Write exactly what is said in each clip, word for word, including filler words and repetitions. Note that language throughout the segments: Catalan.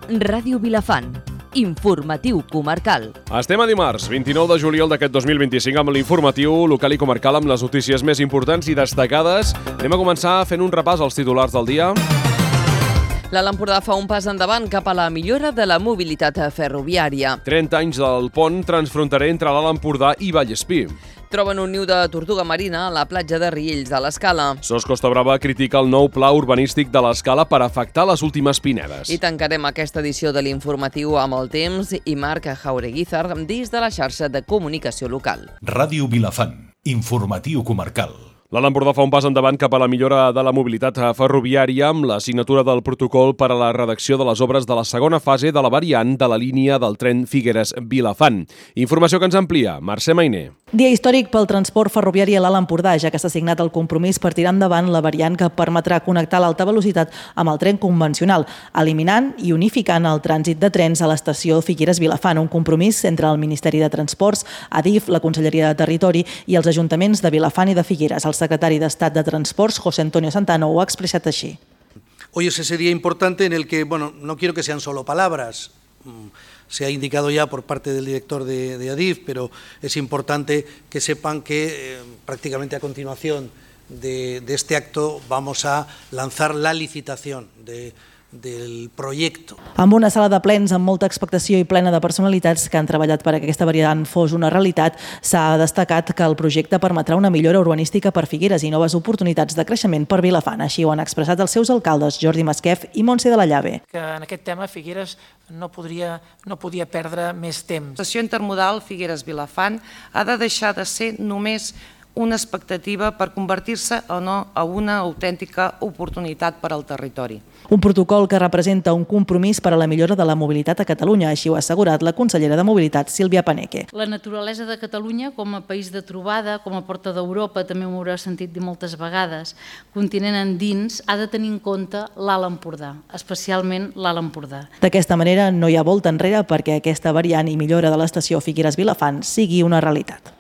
Ràdio Vilafant. Informatiu comarcal. Estem a dimarts, vint-i-nou de juliol d'aquest dos mil vint-i-cinc, amb l'informatiu local i comarcal amb les notícies més importants i destacades. Anem a començar fent un repàs als titulars del dia. L'Alt Empordà fa un pas endavant cap a la millora de la mobilitat ferroviària. trenta anys del pont transfronterer entre l'Alt Empordà i Vallespir. Troben un niu de tortuga marina a la platja de Riells de l'Escala. Sos Costa Brava critica el nou pla urbanístic de l'Escala per afectar les últimes pinedes. I tancarem aquesta edició de l'informatiu amb el temps i Marc Jaureguizar des de la xarxa de comunicació local. Ràdio Vilafant. Informatiu comarcal. L'Alt Empordà fa un pas endavant cap a la millora de la mobilitat ferroviària amb la signatura del protocol per a la redacció de les obres de la segona fase de la variant de la línia del tren Figueres-Vilafant. Informació que ens amplia Mercè Mainer. Dia històric pel transport ferroviari a l'Alt Empordà, ja que s'ha signat el compromís per tirar endavant la variant que permetrà connectar l'alta velocitat amb el tren convencional, eliminant i unificant el trànsit de trens a l'estació Figueres-Vilafant, un compromís entre el Ministeri de Transports, Adif, la Conselleria de Territori i els ajuntaments de Vilafant i de Figueres. El secretari d'Estat de Transports, José Antonio Santano, ho ha expressat així. Hoy es ese día importante en el que, bueno, no quiero que sean solo palabras, se ha indicado ya por parte del director de, de Adif, pero es importante que sepan que eh, prácticamente a continuación de, de este acto vamos a lanzar la licitación de del projecte. Amb una sala de plens amb molta expectació i plena de personalitats que han treballat perquè aquesta variant fos una realitat, s'ha destacat que el projecte permetrà una millora urbanística per Figueres i noves oportunitats de creixement per Vilafant. Així ho han expressat els seus alcaldes, Jordi Masquef i Montse de la Llave. Que en aquest tema Figueres no podria, no podia perdre més temps. L'estació intermodal Figueres-Vilafant ha de deixar de ser només una expectativa per convertir-se o no a una autèntica oportunitat per al territori. Un protocol que representa un compromís per a la millora de la mobilitat a Catalunya, així ho ha assegurat la consellera de Mobilitat, Sílvia Paneque. La naturalesa de Catalunya com a país de trobada, com a porta d'Europa, també m'ho haurà sentit dir moltes vegades, continent endins, ha de tenir en compte l'Alt Empordà, especialment l'Alt Empordà. D'aquesta manera no hi ha volta enrere perquè aquesta variant i millora de l'estació Figueres-Vilafant sigui una realitat.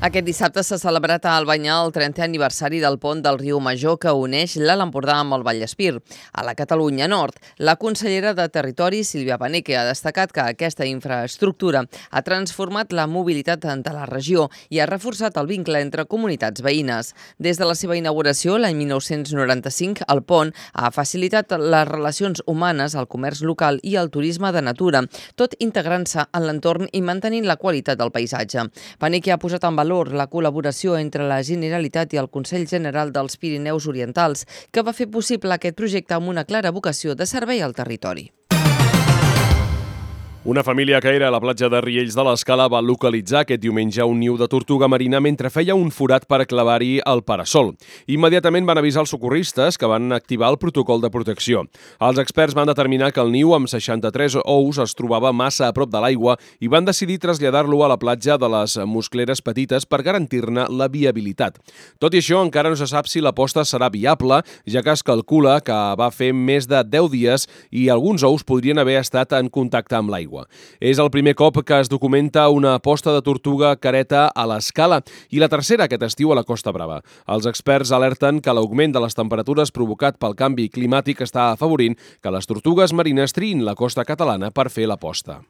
Aquest dissabte s'ha celebrat a Albanyà el trentè aniversari del pont del Riu Major que uneix l'Alt Empordà amb el Vallespir. A la Catalunya Nord, la consellera de Territori, Sílvia Paneque, ha destacat que aquesta infraestructura ha transformat la mobilitat de la regió i ha reforçat el vincle entre comunitats veïnes. Des de la seva inauguració, l'any mil nou-cents noranta-cinc, el pont ha facilitat les relacions humanes, el comerç local i el turisme de natura, tot integrant-se en l'entorn i mantenint la qualitat del paisatge. Paneque ha posat en valor la col·laboració entre la Generalitat i el Consell General dels Pirineus Orientals, que va fer possible aquest projecte amb una clara vocació de servei al territori. Una família que era a la platja de Riells de l'Escala va localitzar aquest diumenge un niu de tortuga marina mentre feia un forat per clavar-hi el parasol. Immediatament van avisar els socorristes que van activar el protocol de protecció. Els experts van determinar que el niu amb seixanta-tres ous es trobava massa a prop de l'aigua i van decidir traslladar-lo a la platja de les Muscleres Petites per garantir-ne la viabilitat. Tot i això, encara no se sap si la posta serà viable, ja que es calcula que va fer més de deu dies i alguns ous podrien haver estat en contacte amb l'aigua. És el primer cop que es documenta una posta de tortuga careta a l'Escala i la tercera aquest estiu a la Costa Brava. Els experts alerten que l'augment de les temperatures provocat pel canvi climàtic està afavorint que les tortugues marines triïn la costa catalana per fer la posta.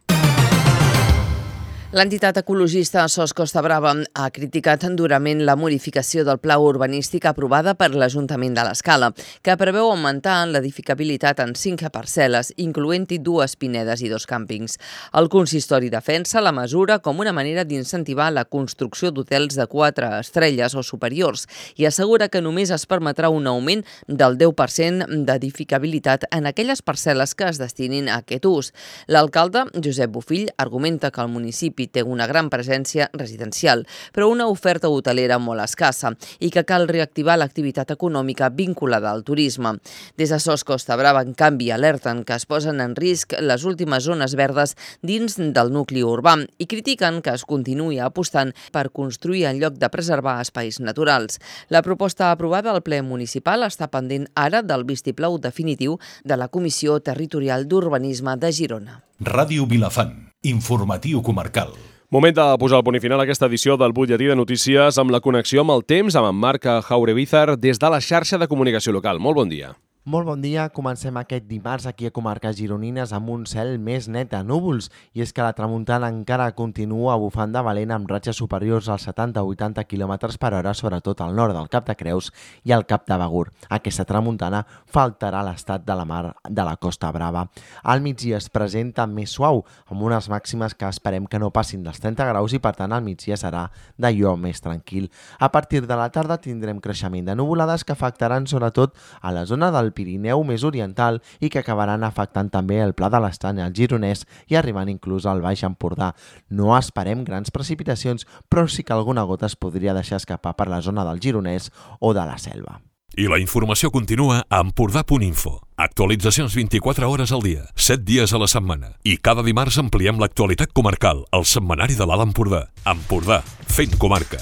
L'entitat ecologista Sos Costa Brava ha criticat durament la modificació del pla urbanístic aprovada per l'Ajuntament de l'Escala, que preveu augmentar l'edificabilitat en cinc parcel·les, incloent-hi dues pinedes i dos càmpings. El consistori defensa la mesura com una manera d'incentivar la construcció d'hotels de quatre estrelles o superiors i assegura que només es permetrà un augment del deu per cent d'edificabilitat en aquelles parcel·les que es destinin a aquest ús. L'alcalde, Josep Bofill, argumenta que el municipi té una gran presència residencial, però una oferta hotelera molt escassa i que cal reactivar l'activitat econòmica vinculada al turisme. Des de Sos Costa Brava, en canvi, alerten que es posen en risc les últimes zones verdes dins del nucli urbà i critiquen que es continuï apostant per construir en lloc de preservar espais naturals. La proposta aprovada al ple municipal està pendent ara del vistiplau definitiu de la Comissió Territorial d'Urbanisme de Girona. Ràdio Vilafant. Informatiu comarcal. Moment de posar el punt i final a aquesta edició del Butlletí de Notícies amb la connexió amb el temps amb en Marc Jaureguizar des de la xarxa de comunicació local. Molt bon dia. Molt bon dia, comencem aquest dimarts aquí a comarques gironines amb un cel més net de núvols, i és que la tramuntana encara continua bufant de valent amb ratxes superiors als setanta a vuitanta quilòmetres per hora, sobretot al nord del Cap de Creus i al Cap de Begur. Aquesta tramuntana faltarà l'estat de la mar de la Costa Brava. Al migdia es presenta més suau, amb unes màximes que esperem que no passin dels trenta graus i per tant al migdia serà d'allò més tranquil. A partir de la tarda tindrem creixement de nuvolades que afectaran sobretot a la zona del Pirineu més oriental i que acabaran afectant també el Pla de l'Estany, el Gironès i arribant inclús al Baix Empordà. No esperem grans precipitacions, però sí que alguna gota es podria deixar escapar per la zona del Gironès o de la Selva. I la informació continua a empordà punt info. Actualitzacions vint-i-quatre hores al dia, set dies a la setmana. I cada dimarts ampliem l'actualitat comarcal, al setmanari de l'Alt Empordà. Empordà, fent comarca.